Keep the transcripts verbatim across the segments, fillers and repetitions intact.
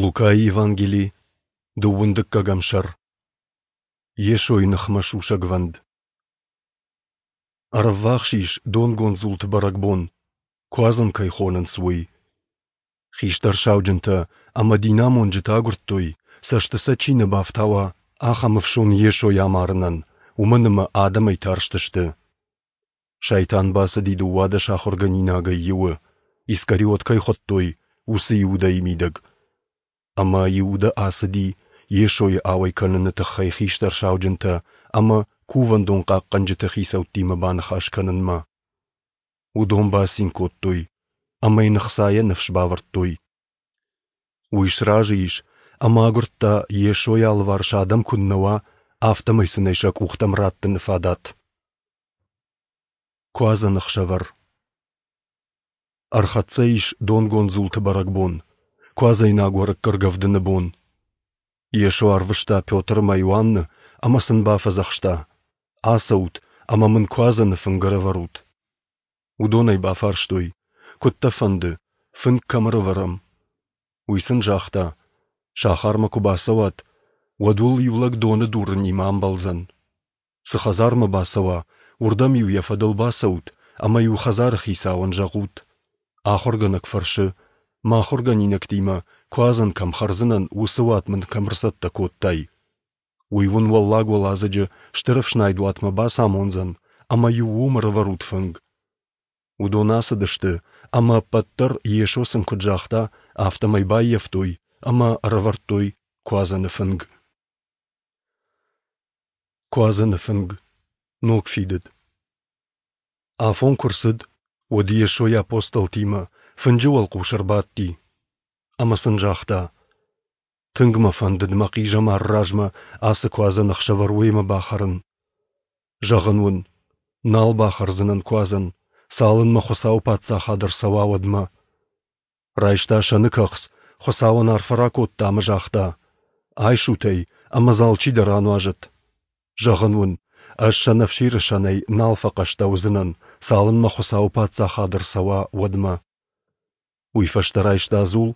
Лукайы Евангели, дыууын дыккӕгӕм сӕр. Йесойы ныхмӕ сусӕгвӕнд. Ӕрӕввахс ис донгонд дзулты бӕрӕгбон, Куадзӕн кӕй хонынц, уый. Хистӕр сауджынтӕ ӕмӕ динамонджытӕ агуырдтой, цӕсты сӕ чи нӕ бафтауа, ахӕм ӕфсон Йесойы амарынӕн, уымӕн ӕмӕ адӕмӕй тарстысты. Сайтан бацыди дыууадӕс ахуыргӕнинагӕй иуы, Искариот кӕй хуыдтой, уыцы Иудӕйы мидӕг. Ӕмӕ Иудӕ ацыди Йесойы ауӕй кӕныны тыххӕй хистӕр сауджынтӕ ӕмӕ кувӕндон хъахъхъӕнджыты хицӕуттимӕ баныхас кӕнынмӕ. Уыдон бацин кодтой ӕмӕ йын ӕхцайӕ ныфс бавӕрдтой. Уый сразы ис ӕмӕ агуырдта, Йесойы алыварс адӕм куыннӕ уа, афтӕмӕй сын ӕй сӕ къухтӕм раттыны фадат. Куадзӕны ӕхсӕвӕр. Ӕрхӕццӕ ис донгонд дзулты бӕрӕгбон, куадзӕйнаг уӕрыкк ӕргӕвдыны бон. Йесо арвыста Петр ӕмӕ Иоанны ӕмӕ сын бафӕдзӕхста: Ацӕут ӕмӕ мын куадзӕны фынг ӕрӕвӕрут. Уыдон ӕй бафарстой: Куыд дӕ фӕнды, фынг кӕм ӕрӕвӕрӕм? Уый сын загъта: Сахармӕ куы бацӕуат, уӕд уыл иу лӕг доны дурынимӕ амбӕлдзӕн. Цы хӕдзармӕ бацӕуа, уырдӕм-иу йӕ фӕдыл бацӕут ӕмӕ-иу хӕдзары хицауӕн зӕгъут: Ахуыргӕнӕг фӕрсы, мӕ ахуыргӕнинӕгтимӕ куадзӕн кӕм хӕрдзынӕн, уыцы уат мын кӕм ӕрцӕттӕ кодтай? Уый уын уӕллаг уӕладзыджы стыр ӕфснайд уатмӕ бацамондзӕн, ӕмӕ-иу уым ӕрӕвӕрут фынг. Уыдон ацыдысты, ӕмӕ ӕппӕт дӕр Йесо сын куыд загъта, афтӕмӕй баййӕфтой ӕмӕ ӕрӕвӕрдтой куадзӕны фынг. Куадзӕны фынг. Ног фидыд. Афон куы рцыд, уӕд Йесо йӕ апостолтимӕ фынджы уӕлхъус ӕрбадти ӕмӕ сын загъта: Тынг мӕ фӕндыд мӕ хъизӕмары размӕ ацы куадзӕн ӕхсӕвӕр уемӕ бахӕрын. Зӕгъын уын, нал бахӕрдзынӕн куадзӕн, цалынмӕ Хуыцауы Паддзахад ӕрцӕуа, уӕдмӕ. Райста сӕны кӕхц, Хуыцауӕн арфӕ ракодта ӕмӕ загъта: Айсут ӕй ӕмӕ дзы алчидӕр ануазӕд. Зӕгъын уын, ӕз сӕнӕфсиры сӕнӕй нал фӕхъӕстӕ уыдзынӕн, цалынмӕ Хуыцауы Паддзахад ӕрцӕуа, уӕдмӕ. Уый фӕстӕ райста дзул,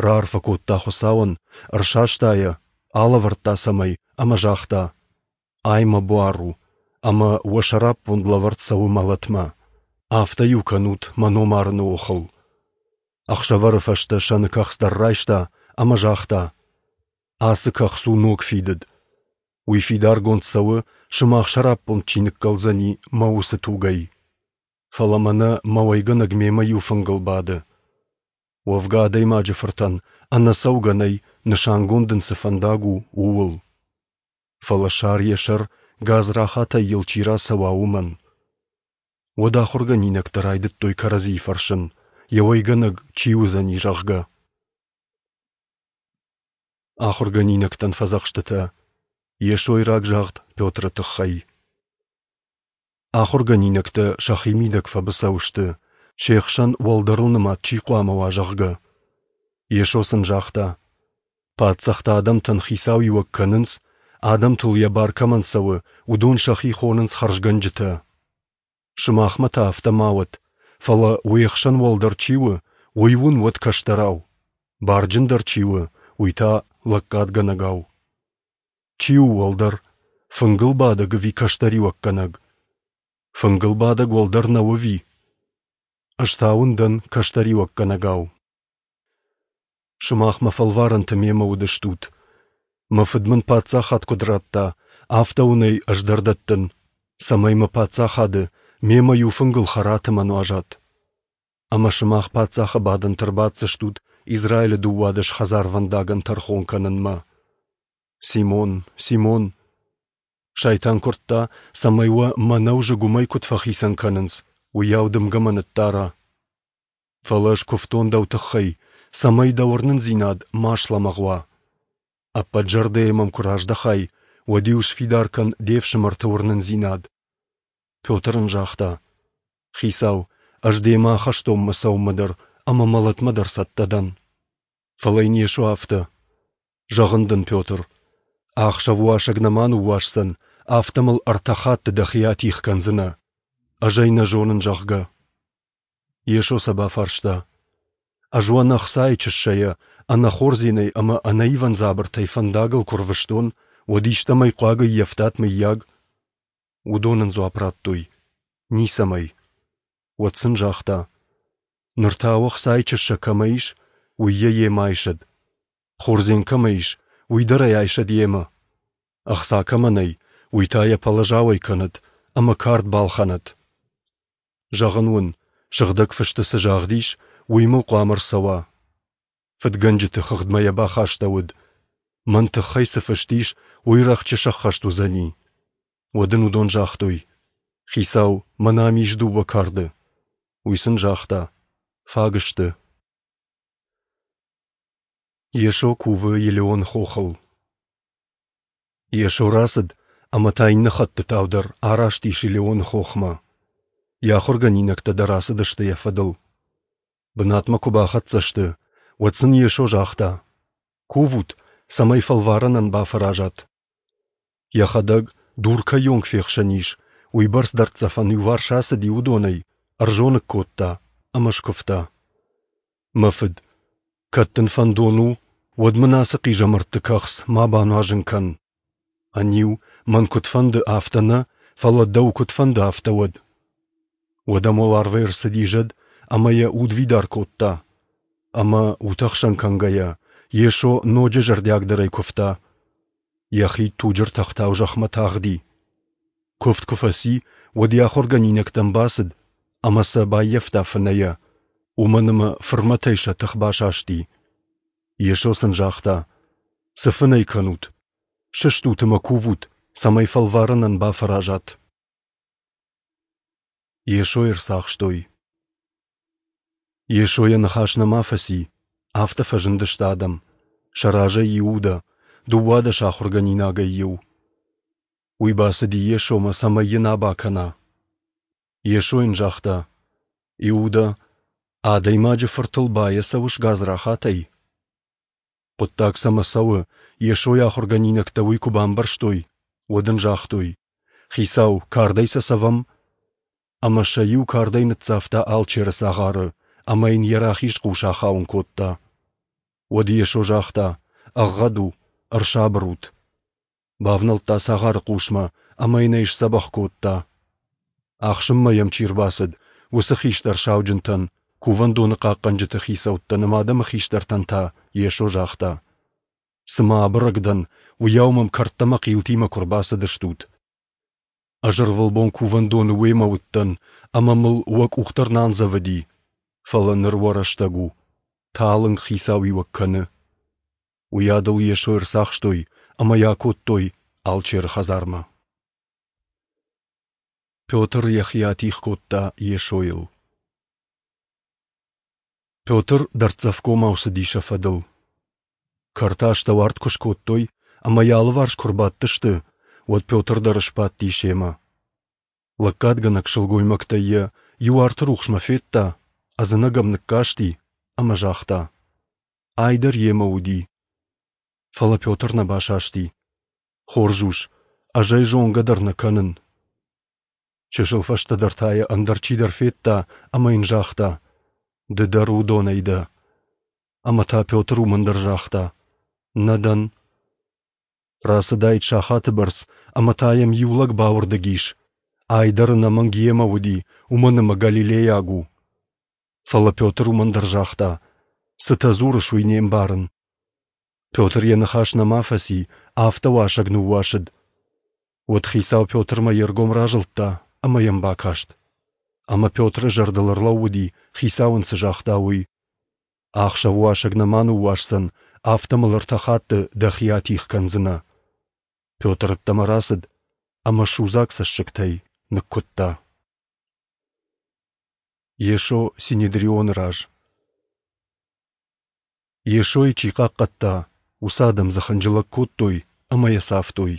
раарфӕ кодта Хуыцауӕн, ӕрсаста йӕ, алӕвӕрдта цӕмӕй ӕмӕ загъта: Ай мӕ буар у, ӕмӕ уӕ сӕраппонд лӕвӕрд цӕуы мӕлӕтмӕ. Афтӕ-иу кӕнут мӕ ном арыны охыл. Ӕхсӕвӕры фӕстӕ сӕны кӕхц дӕр райста ӕмӕ загъта: Ацы кӕхц у ног фидыд. Уый фидаргонд цӕуы, сымах сӕраппонд чи ныккӕлдзӕни, мӕ уыцы тугӕй. Фӕлӕ мӕнӕ мӕ уӕйгӕнӕг мемӕ иу фынгыл бады. Уӕвгӕ адӕймаджы фыртӕн ӕнӕцӕугӕ нӕй, нысангонд ын цы фӕндаг у, ууыл. Фӕлӕ сар йӕ сӕр, гадзрахатӕй йыл чи рацӕуа, уымӕн. Уӕд ахуыргӕнинӕгтӕ райдыдтой кӕрӕдзийы фӕрсын, йӕ уӕйгӕнӕг чи уыдзӕни, зӕгъгӕ. Ахуыргӕнинӕгтӕн фӕдзӕхстытӕ Йесойы рагзагъд Петры тыххӕй. Ахуыргӕнинӕгтӕ сӕхимидӕг фӕбыцӕу сты, се хсӕн уӕлдӕрыл нымад чи хъуамӕ уа, зӕгъгӕ. Йесо сын загъта: Паддзӕхтӕ адӕмтӕн хицауиуӕг кӕнынц, адӕмтыл йӕ бар кӕмӕн цӕуы, уыдон сӕхи хонынц хӕрзгӕнджытӕ. Сымахмӕ та афтӕ ма уӕд, фӕлӕ уе хсӕн уӕлдӕр чи у, уый уын уӕд кӕстӕрау, барджындӕр чи у, уый та лӕггадгӕнӕгау. Чи у уӕлдӕр, фынгыл бадӕг ӕви кӕстӕриуӕггӕнӕг? Фынгыл бадӕг уӕлдӕр нӕу ӕви? Ӕз та уын дӕн кӕстӕриуӕггӕнӕгау. Сымах мӕ фӕлварӕнты мемӕ уыдыстут. Мӕ Фыд мын паддзахад куыд радта, афтӕ уын ӕй ӕз дӕр дӕттын, цӕмӕй мӕ паддзахады мемӕ иу фынгыл хӕрат ӕмӕ нуазат. Ӕмӕ сымах паддзахы бадӕнты ӕрбаддзыстут Израилы дыууадӕс хӕдзарвӕндагӕн тӕрхон кӕнынмӕ. Симон, Симон, Сайтан куырдта, цӕмӕй уӕ мӕнӕу зыгуымӕй куыд фӕхицӕн кӕнынц, уыйау дымгӕмӕ ныддара. Фӕлӕ ӕз куывтон дӕу тыххӕй, цӕмӕй дӕ уырнындзинад ма слӕмӕгъ уа. Ӕппӕт зӕрдӕйӕ мӕм куы раздӕхай, уӕд-иу сфидар кӕн де фсымӕрты уырнындзинад. Петр ын загъта: Хицау, ӕз демӕ ахӕстонмӕ цӕуынмӕ дӕр ӕмӕ мӕлӕтмӕ дӕр цӕттӕ дӕн. Фӕлӕ йын Йесо афтӕ: Зӕгъын дын, Петр, ахсӕв уасӕг нӕма ныууасдзӕн, афтӕ мыл ӕртӕ хатты дӕхи атигъ кӕндзынӕ, ӕз ӕй нӕ зонын, зӕгъгӕ. Йесо сӕ бафарста: Ӕз уӕ ӕнӕ ӕхцайы чыссӕйӕ, ӕнӕ хордзенӕй ӕмӕ ӕнӕ ивӕн дзабыртӕй фӕндагыл куы рвыстон, уӕд истӕмӕй хъуаг ӕййӕфтат, мыййаг? Уыдон ын дзуапп радтой: Ницӕмӕй. Уӕд сын загъта: Ныр та уӕ ӕхцайы чыссӕ кӕмӕ ис, уый йӕ йемӕ айсӕд. Хордзен кӕмӕ ис, уый дӕр ӕй айсӕд йемӕ. Ӕхца кӕмӕ нӕй, уый та йӕ пӕлӕз ауӕй кӕнӕд ӕмӕ кард балхӕнӕд. Зӕгъын уын, Сыгъдӕг Фысты цы загъд ис, уый мыл хъуамӕ ӕрцӕуа. Фыдгӕнджыты хыгъдмӕ йӕ бахастӕуыд. Мӕн тыххӕй цы фыст ис, уый рӕхджы сӕххӕст уыдзӕни. Уӕд ын уыдон загътой: Хицау, мӕнӕ ам ис дыууӕ карды. Уый сын загъта: Фаг сты. Йесо кувы Елеоны хохыл. Йесо рацыд ӕмӕ та иннӕ хӕттытау дӕр араст ис Елеоны хохмӕ. Йӕ ахуыргӕнинӕгтӕ дӕр ацыдысты йӕ фӕдыл. Бынатмӕ куы бахӕццӕ сты, уӕд сын Йесо загъта: Кувут, цӕмӕй фӕлварӕнӕн бафӕразат. Йӕхӕдӕг, дур кӕйонг фехсӕн ис, уыйбӕрц дӕрддзӕфӕн иуварс ацыди уыдонӕй, ӕрзоныг кодта ӕмӕ скуывта: Мӕ Фыд, кӕд дын фӕндон у, уӕд мын ацы хъизӕмӕртты кӕхц ма бануазын кӕн. Ӕниу, мӕн куыд фӕнды, афтӕ нӕ, фӕлӕ дӕу куыд фӕнды, афтӕ уӕд. Уӕд ӕм уӕларвӕй ӕрцыди зӕд ӕмӕ йӕ удвидар кодта. Ӕмӕ, утӕхсӕн кӕнгӕйӕ, Йесо ноджы зӕрдиагдӕрӕй куывта. Йӕ хид туджы ртӕхтау зӕхмӕ тагъди. Куывд куы фӕци, уӕд йӕ ахуыргӕнинӕгтӕм бацыд ӕмӕ сӕ баййӕфта фынӕйӕ, уымӕн ӕмӕ фырмӕтӕй сӕ тых басасти. Йесо сын загъта: Цы фынӕй кӕнут? Сыстут ӕмӕ кувут, цӕмӕй фӕлварӕнӕн бафӕразат. Йесойы ӕрцахстой. Йесо йӕ ныхас нӕма фӕци, афтӕ фӕзындысты адӕм. Сӕ разӕй Иудӕ, дыууадӕс ахуыргӕнинагӕй иу. Уый бацыди Йесомӕ, цӕмӕй йын аба кӕна. Йесо йын загъта: Иудӕ, Адӕймаджы Фыртыл баецӕуыс гадзрахатӕй? Хъуыддаг цӕмӕ цӕуы, Йесойы ахуыргӕнинӕгтӕ уый куы бамбӕрстой, уӕд ын загътой: Хицау, кардӕй сӕ цӕвӕм? Ӕмӕ сӕ иу кардӕй ныццавта алчеры цагъары, ӕмӕ йын йӕ рахиз хъус ахауын кодта. Уӕд Йесо загъта: Ӕгъгъӕд у, ӕрсабыр ут. Бавнӕлдта цагъары хъусмӕ ӕмӕ йын ӕй сдзӕбӕх кодта. Ахсынмӕ йӕм чи рбацыд, уыцы хистӕр сауджынтӕн, кувӕндоны хъахъхъӕнджыты хицӕуттӕн ӕмӕ адӕмы хистӕртӕн та Йесо загъта: Цыма абырӕг дӕн, уыйау мӕм кӕрдтӕ ӕмӕ хъилтимӕ куы ӕрбацыдыстут. Ӕз ӕрвылбон кувӕндоны уемӕ уыдтӕн, ӕмӕ мыл уӕ къух дӕр нӕ андзӕвыди. Фӕлӕ ныр уӕ рӕстӕг у, талынг хицауиуӕг кӕны. Уыйадыл Йесойы ӕрцахстой ӕмӕ йӕ акодтой алчеры хӕдзармӕ. Петр йӕхи атигъ кодта Йесойыл. Петр дӕрддзӕфгомау цыди сӕ фӕдыл. Кӕрты астӕу арт куы скодтой ӕмӕ йӕ алыварс куы ӕрбадтысты, уӕд Петр дӕр сбадти семӕ. Лӕггадгӕнӕг сылгоймӕгтӕй йӕ иу арты рухсмӕ федта, ӕдзынӕг ӕм ныккасти ӕмӕ загъта: Ай дӕр йемӕ уыди. Фӕлӕ Петр нӕ басасти. Хорз ус, ӕз ӕй зонгӕ дӕр нӕ кӕнын. Чысыл фӕстӕдӕр та йӕ ӕндӕр чидӕр федта ӕмӕ йын загъта: Ды дӕр уыдонӕй дӕ. Ӕмӕ та Петр уымӕн дӕр загъта: Нӕ дӕн. Рацыдаид сахаты бӕрц, ӕмӕ та йӕм иу лӕг бауырдыг ис. Ай дӕр ӕнӕмӕнг йемӕ уыди, уымӕн ӕмӕ галилейаг у. Фӕлӕ Петр уымӕн дӕр загъта: Цытӕ дзурыс, уый не мбарын. Петр йӕ ныхас нӕма фӕци, афтӕ уасӕг ныууасыд. Уӕд хицау Петрмӕ йе ргом разылдта ӕмӕ йӕм бакаст. Ӕмӕ Петры зӕрдыл ӕрлӕууыди, хицау ын цы загъта, уый: Ахсӕв уасӕг нӕма ныууасдзӕн, афтӕ мыл ӕртӕ хатты дӕхи атигъ кӕндзынӕ. Петр ӕддӕмӕ рацыд ӕмӕ судзаг цӕссыгтӕй ныккуыдта. Йесо Синедрионы раз. Йесойы чи хъахъхъӕдта, уыцы адӕм дзы хынджылӕг кодтой ӕмӕ йӕ цавтой.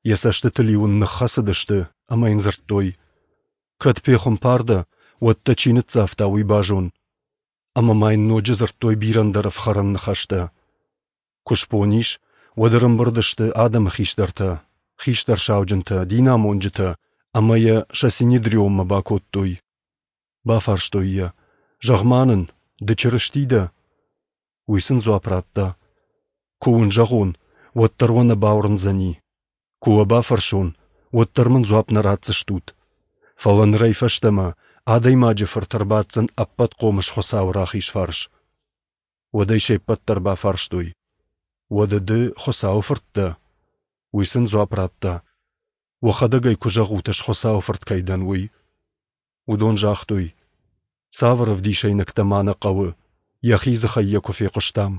Йӕ цӕстытыл-иу ын ныххӕцыдысты ӕмӕ йын дзырдтой: Кӕд пехуымпар дӕ, уӕд дӕ чи ныццавта, уый базон. Ӕмӕ ма йын ноджы дзырдтой бирӕ ӕндӕр ӕфхӕрӕн ныхӕстӕ. Куы сбон ис, уӕд ӕрӕмбырд сты адӕмы хистӕртӕ, хистӕр сауджынтӕ, динамонджытӕ ӕмӕ йӕ сӕ Синедрионмӕ бакодтой. Бафарстой йӕ: Зӕгъ-ма нын, Ды Чырысти дӕ? Уый сын дзуапп радта: Куы уын зӕгъон, уӕддӕр уӕ нӕ бауырндзӕни. Куы уӕ бафӕрсон, уӕддӕр мын дзуапп нӕ ратдзыстут. Фӕлӕ нырӕй фӕстӕмӕ Адӕймаджы Фырт ӕрбаддзӕн Ӕппӕтхъомыс Хуыцауы рахиз фарс. Уӕд ӕй се ппӕт дӕр бафарстой: Уӕдӕ ды Хуыцауы Фырт дӕ? Уый сын дзуапп радта: Уӕхӕдӕг ӕй куы зӕгъут, ӕз Хуыцауы Фырт кӕй дӕн, уый. Уыдон загътой: Цавӕр ӕвдисӕйнӕгтӕ ма нӕ хъӕуы, йӕхи дзыхӕй йӕ куы фехъуыстам.